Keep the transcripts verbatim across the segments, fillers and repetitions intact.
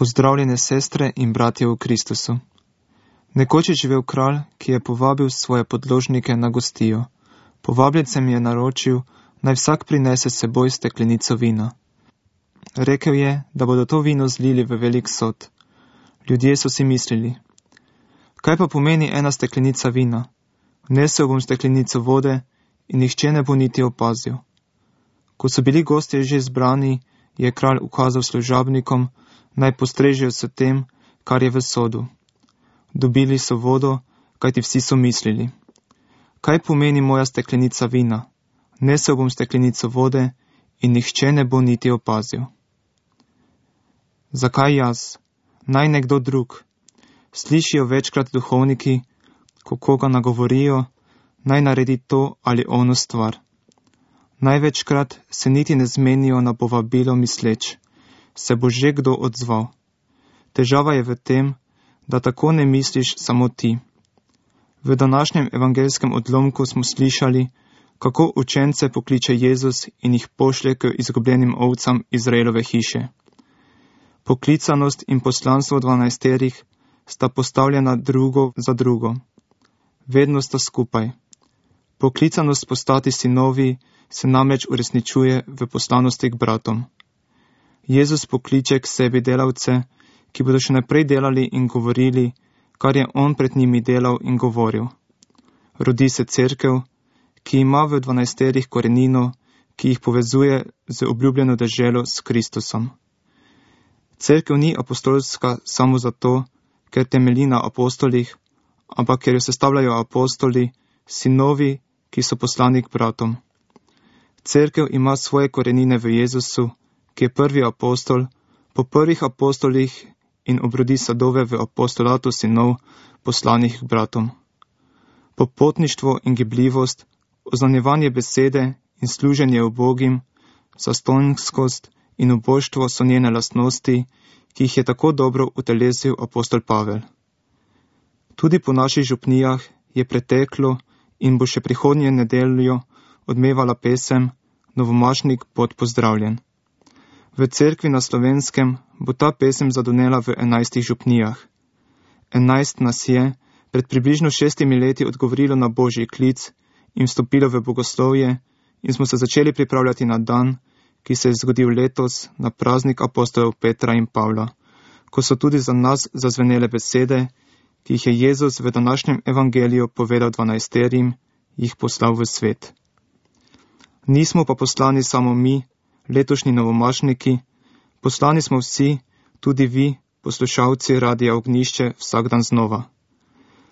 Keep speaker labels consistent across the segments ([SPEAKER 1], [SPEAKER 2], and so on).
[SPEAKER 1] Pozdravljene sestre in bratje v Kristusu. Nekoč je živel kralj, ki je povabil svoje podložnike na gostijo. Povabljencem je naročil, naj vsak prinese s seboj steklenico vina. Rekel je, da bodo to vino zlili v velik sod. Ljudje so si mislili, kaj pa pomeni ena steklenica vina? Vnesel bom steklenico vode in nihče ne bo niti opazil. Ko so bili gostje že zbrani, je kralj ukazal služabnikom, naj postrežejo s tem, kar je v sodu. Dobili so vodo, kajti vsi so mislili, kaj pomeni moja steklenica vina? Nesel bom steklenico vode in nihče ne bo niti opazil. Zakaj jaz? Naj nekdo drug. Slišijo večkrat duhovniki, ko koga nagovorijo, naj naredi to ali ono stvar. Največkrat se niti ne zmenijo na povabilo misleč, se bo že kdo odzval. Težava je v tem, da tako ne misliš samo ti. V današnjem evangelskem odlomku smo slišali, kako učence pokliče Jezus in jih pošlje k izgubljenim ovcam Izraelove hiše. Poklicanost in poslanstvo dvanajsterih sta postavljena drugo za drugo. Vedno sta skupaj. Poklicanost postati sinovi se namreč uresničuje v poslanosti k bratom. Jezus pokliče k sebi delavce, ki bodo še naprej delali in govorili, kar je on pred njimi delal in govoril. Rodi se cerkev, ki ima v dvanajsterih korenino, ki jih povezuje z obljubljeno deželo s Kristusom. Cerkev ni apostolska samo zato, ker temelji na apostolih, ampak ker jo sestavljajo apostoli, sinovi, ki so poslani k bratom. Cerkev ima svoje korenine v Jezusu, ki je prvi apostol, po prvih apostolih in obrodi sadove v apostolatu sinov, poslanih k bratom. Popotništvo in gibljivost, oznanjevanje besede in služenje ubogim, zastonjskost in ubožstvo so njene lastnosti, ki jih je tako dobro utelesil apostol Pavel. Tudi po naših župnijah je preteklo in bo še prihodnje nedeljo odmevala pesem Novomašnik bod pozdravljen. V cerkvi na Slovenskem bo ta pesem zadonela v enajstih župnijah. Enajst nas je pred približno šestimi leti odgovorilo na Božji klic in vstopilo v bogoslovje in smo se začeli pripravljati na dan, ki se je zgodil letos na praznik apostolov Petra in Pavla, ko so tudi za nas zazvenele besede, ki jih je Jezus v današnjem evangeliju povedal dvanajsterim, jih poslal v svet. Nismo pa poslani samo mi, letošnji novomašniki, poslani smo vsi, tudi vi, poslušalci Radia Ognjišče, vsak dan znova.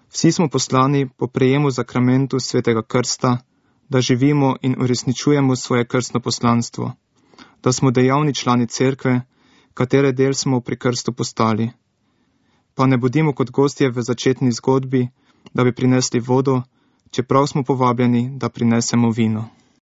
[SPEAKER 1] Vsi smo poslani po prejemu zakramentu svetega krsta, da živimo in uresničujemo svoje krstno poslanstvo, da smo dejavni člani cerkve, katere del smo pri krstu postali. Pa ne bodimo kot gostje v začetni zgodbi, da bi prinesli vodo, čeprav smo povabljeni, da prinesemo vino.